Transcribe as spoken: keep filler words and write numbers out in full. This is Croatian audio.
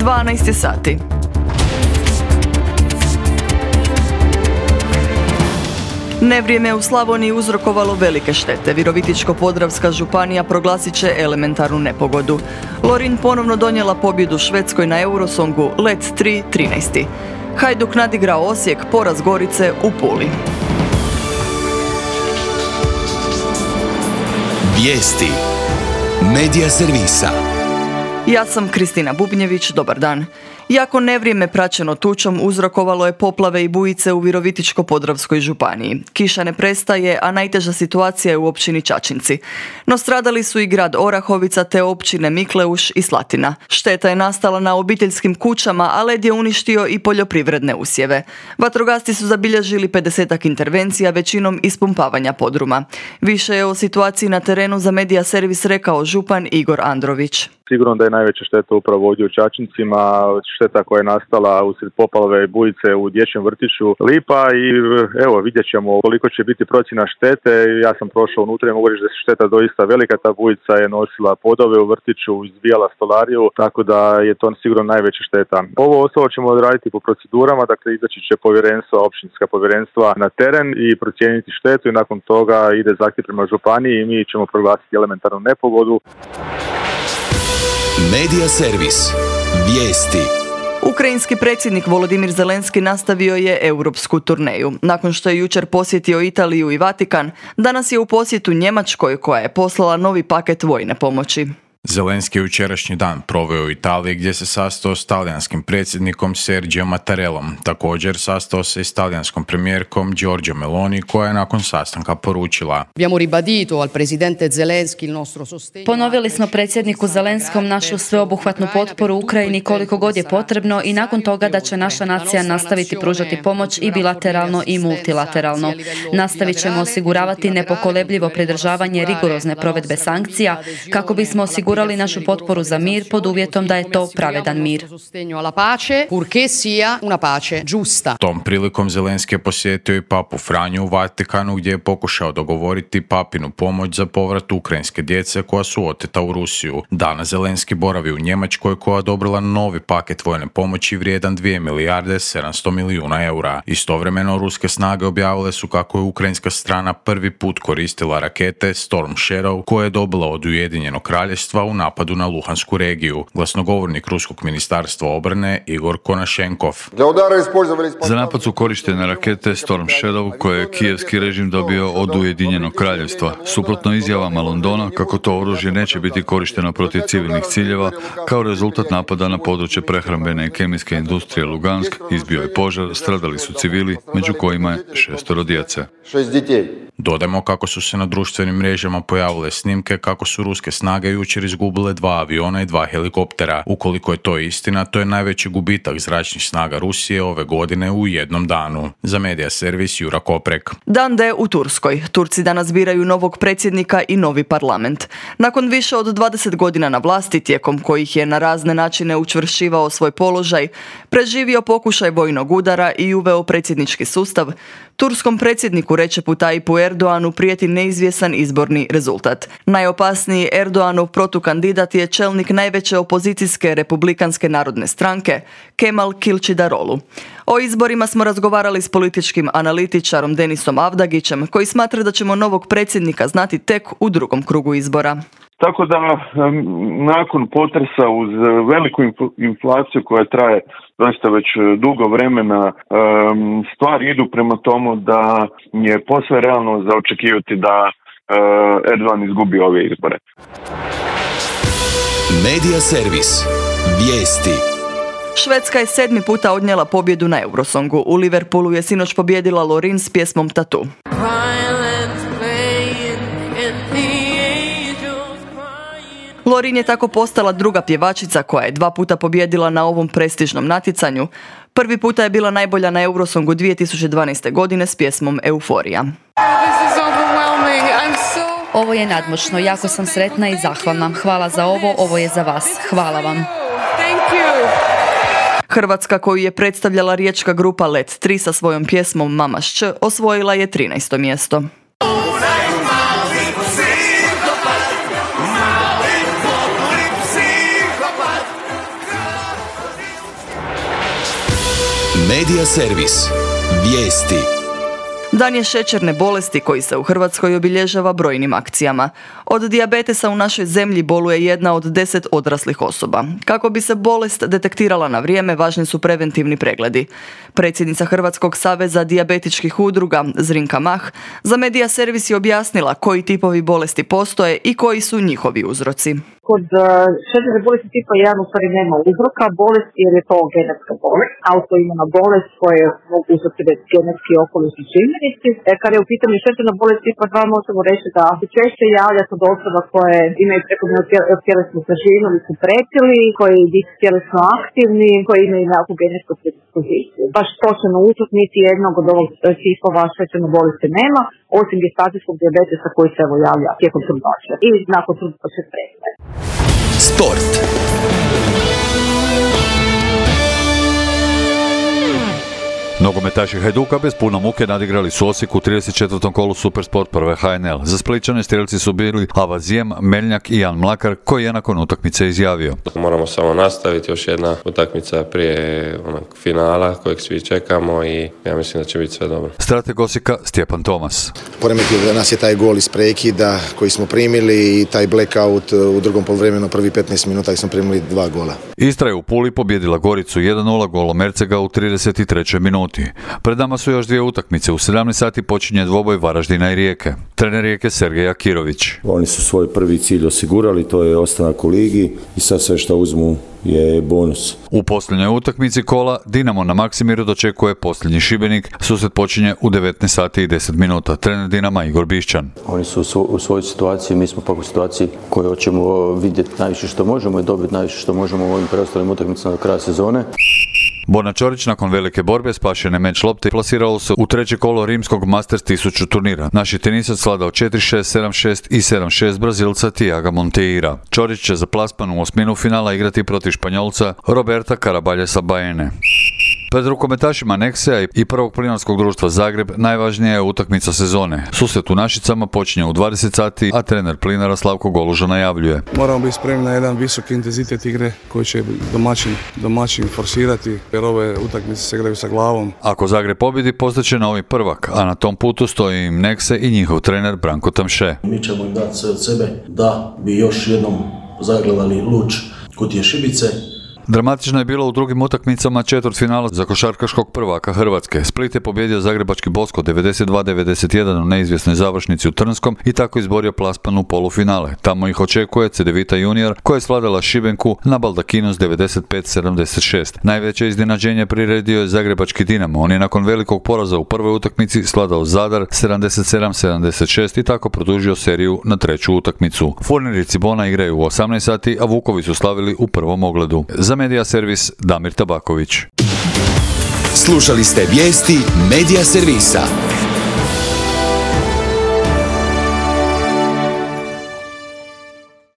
dvanaest je sati. Nevrijeme u Slavoniji uzrokovalo velike štete. Virovitičko-podravska županija proglasit će elementarnu nepogodu. Lorin ponovno donijela pobjedu Švedskoj na Eurosongu, let tri trinaest. Hajduk nadigrao Osijek, poraz Gorice u Puli. Vijesti Medija servisa. Ja sam Kristina Bubnjević, dobar dan. Jako nevrijeme praćeno tučom uzrokovalo je poplave i bujice u Virovitičko-podravskoj županiji. Kiša ne prestaje, a najteža situacija je u općini Čačinci. No stradali su i grad Orahovica te općine Mikleuš i Slatina. Šteta je nastala na obiteljskim kućama, a led je uništio i poljoprivredne usjeve. Vatrogasci su zabilježili pedesetak intervencija, većinom ispumpavanja podruma. Više je o situaciji na terenu za Medija servis rekao župan Igor Andrović. Sigurno da je najveća šteta upravo ovdje u Čačincima, šteta koja je nastala usred poplave i bujice u dječjem vrtiću Lipa i evo vidjet ćemo koliko će biti procjena štete. Ja sam prošao unutra i mogu reći da je šteta doista velika, ta bujica je nosila podove u vrtiću, izbijala stolariju, tako da je to sigurno najveća šteta. Ovo ostalo ćemo odraditi po procedurama, dakle izaći će povjerenstva, općinska povjerenstva na teren i procijeniti štetu i nakon toga ide zahtjev prema županiji i mi ćemo proglasiti elementarnu nepogodu. Medija servis. Vijesti. Ukrajinski predsjednik Volodimir Zelenski nastavio je europsku turneju. Nakon što je jučer posjetio Italiju i Vatikan, danas je u posjetu Njemačkoj koja je poslala novi paket vojne pomoći. Zelenski je jučerašnji dan proveo u Italiji gdje se sastao s talijanskim predsjednikom Sergijom Mattarellom. Također sastao se i s talijanskom premijerkom Giorgia Meloni koja je nakon sastanka poručila: Ponovili smo predsjedniku Zelenskom našu sveobuhvatnu potporu Ukrajini koliko god je potrebno i nakon toga da će naša nacija nastaviti pružati pomoć i bilateralno i multilateralno. Nastavit ćemo osiguravati nepokolebljivo pridržavanje rigorozne provedbe sankcija kako bismo osigurali našu potporu za mir pod uvjetom da je to pravedan mir. Tom prilikom Zelenski je posjetio i papu Franju u Vatikanu gdje je pokušao dogovoriti papinu pomoć za povrat ukrajinske djece koja su oteta u Rusiju. Danas Zelenski boravi u Njemačkoj koja je odobrila novi paket vojne pomoći vrijedan dvije milijarde sedamsto milijuna eura. Istovremeno ruske snage objavile su kako je ukrajinska strana prvi put koristila rakete Storm Shadow koje je dobila od Ujedinjenog kraljevstva u napadu na Luhansku regiju. Glasnogovornik ruskog ministarstva obrane Igor Konašenkov. Za napad su korištene rakete Storm Shadow koje je kijevski režim dobio od Ujedinjenog kraljevstva. Suprotno izjavama Londona kako to oružje neće biti korišteno protiv civilnih ciljeva, kao rezultat napada na područje prehrambene i kemijske industrije Lugansk izbio je požar, stradali su civili, među kojima je šestoro djece. Dodajmo kako su se na društvenim mrežama pojavile snimke kako su ruske snage jučer izgubile dva aviona i dva helikoptera. Ukoliko je to istina, to je najveći gubitak zračnih snaga Rusije ove godine u jednom danu. Za Medija servis Jura Koprek. Dan D u Turskoj. Turci danas biraju novog predsjednika i novi parlament. Nakon više od dvadeset godina na vlasti, tijekom kojih je na razne načine učvršćivao svoj položaj, preživio pokušaj vojnog udara i uveo predsjednički sustav, turskom predsjedniku Recepu Tayyipu Erdoğanu prijeti neizvjesan izborni rezultat. Najopasniji Erdoğanov protukandidat je čelnik najveće opozicijske republikanske narodne stranke, Kemal Kılıçdaroğlu. O izborima smo razgovarali s političkim analitičarom Denisom Avdagićem, koji smatra da ćemo novog predsjednika znati tek u drugom krugu izbora. Tako da nakon potresa uz veliku inflaciju koja traje doista već dugo vremena, stvari idu prema tomu da je posve realno za očekivati da Erdogan izgubi ove izbore. Medija servis. Vijesti. Švedska je sedmi puta odnijela pobjedu na Eurosongu. U Liverpoolu je sinoć pobjedila Lorin s pjesmom Tattoo. Lorin je tako postala druga pjevačica koja je dva puta pobjedila na ovom prestižnom natjecanju. Prvi puta je bila najbolja na Eurosongu dvije tisuće dvanaeste. godine s pjesmom Euforija. Ovo je nadmoćno, jako sam sretna i zahvalna. Hvala za ovo, ovo je za vas. Hvala vam. Hrvatska, koju je predstavljala riječka grupa Let tri sa svojom pjesmom Mama Šč, osvojila je trinaesto mjesto. Medija servis. Vijesti. Dan je šećerne bolesti koji se u Hrvatskoj obilježava brojnim akcijama. Od dijabetesa u našoj zemlji boluje jedna od deset odraslih osoba. Kako bi se bolest detektirala na vrijeme, važni su preventivni pregledi. Predsjednica Hrvatskog saveza dijabetičkih udruga Zrinka Mah za Medija servis je objasnila koji tipovi bolesti postoje i koji su njihovi uzroci. Kod šećerne bolesti tipa jedan u stvari nema uzroka bolesti jer je to genetska bolest, autoimuna bolest koje mogu uzrokovati genetski okolisni čimbenici. E, kad je u pitanju šećerna bolest tipa dva možemo reći da se češće javlja kod osoba koje imaju prekomjernu tjelesnu težinu ili su pretili, koji nisu tjelesno aktivni, koji imaju nekakvu genetsku predispoziciju. Baš točno uzrok niti jednog od ovog tipova šećerne bolesti nema, osim gestacijskog dijabetesa koji se evo javlja tijekom trudnoće i nakon trudnoće prestaje. Sport. Nogometaši Hajduka bez puno muke nadigrali su Osijek u trideset četvrtom kolu Supersport prve H N L. Za Splićane strelci su bili Avazijem, Meljnjak i Jan Mlakar, koji je nakon utakmice izjavio: Moramo samo nastaviti, još jedna utakmica prije onog finala kojeg svi čekamo i ja mislim da će biti sve dobro. Strateg Osijeka Stjepan Tomas. Poremetio nas je taj gol iz prekida koji smo primili i taj blackout u drugom poluvremenu, prvi petnaest minuta i smo primili dva gola. Istra je u Puli pobjedila Goricu jedan nula golom Mercega u trideset trećoj minuti. Pred nama su još dvije utakmice. U sedamnaest sati počinje dvoboj Varaždina i Rijeke. Trener Rijeke Sergej Akirović. Oni su svoj prvi cilj osigurali, to je ostanak u ligi i sad sve što uzmu je bonus. U posljednjoj utakmici kola Dinamo na Maksimiru dočekuje posljednji Šibenik. Susret počinje u devetnaest sati i deset minuta. Trener Dinama Igor Bišćan. Oni su u svojoj situaciji, mi smo pak u situaciji koju hoćemo vidjeti najviše što možemo i dobiti najviše što možemo u ovim preostalim utakmicama do kraja sezone. Borna Ćorić nakon velike borbe spašene meč lopte plasiralo se u treće kolo rimskog Masters tisuću turnira. Naši tenisac sladao četiri šest, sedam šest i sedam šest Brazilca Tiaga Monteira. Ćorić će za plasman u osminu finala igrati protiv Španjolca Roberta Carabaljesa Baene. Pred rukometašima Nexea i prvog plinarskog društva Zagreb najvažnija je utakmica sezone. Susret u Našicama počinje u dvadeset sati, a trener Plinara Slavko Goluža najavljuje: Moramo biti spremni na jedan visok intenzitet igre koji će domaćin, domaćin forsirati, jer ove utakmice se igraju sa glavom. Ako Zagreb pobjedi, postaće novi prvak, a na tom putu stoji im Nexe i njihov trener Branko Tamše. Mi ćemo im dati sve od sebe da bi još jednom zagledali luč Kutije Šibice. Dramatično je bilo u drugim utakmicama četvrtfinala za košarkaškog prvaka Hrvatske. Split je pobjedio zagrebački Bosko devedeset dva devedeset jedan u neizvjesnoj završnici u Trnskom i tako izborio plasman u polufinale. Tamo ih očekuje Cedevita Junior koja je svladala Šibenku na baldakinu s devedeset pet sedamdeset šest. Najveće iznenađenje priredio je zagrebački Dinamo. On je nakon velikog poraza u prvoj utakmici svladao Zadar sedamdeset sedam sedamdeset šest i tako produžio seriju na treću utakmicu. Furnir i Cibona igraju u osamnaest sati, a Vukovi su slavili u prvom ogledu. Za Medija servis Damir Tabaković. Slušali ste vijesti Medija servisa.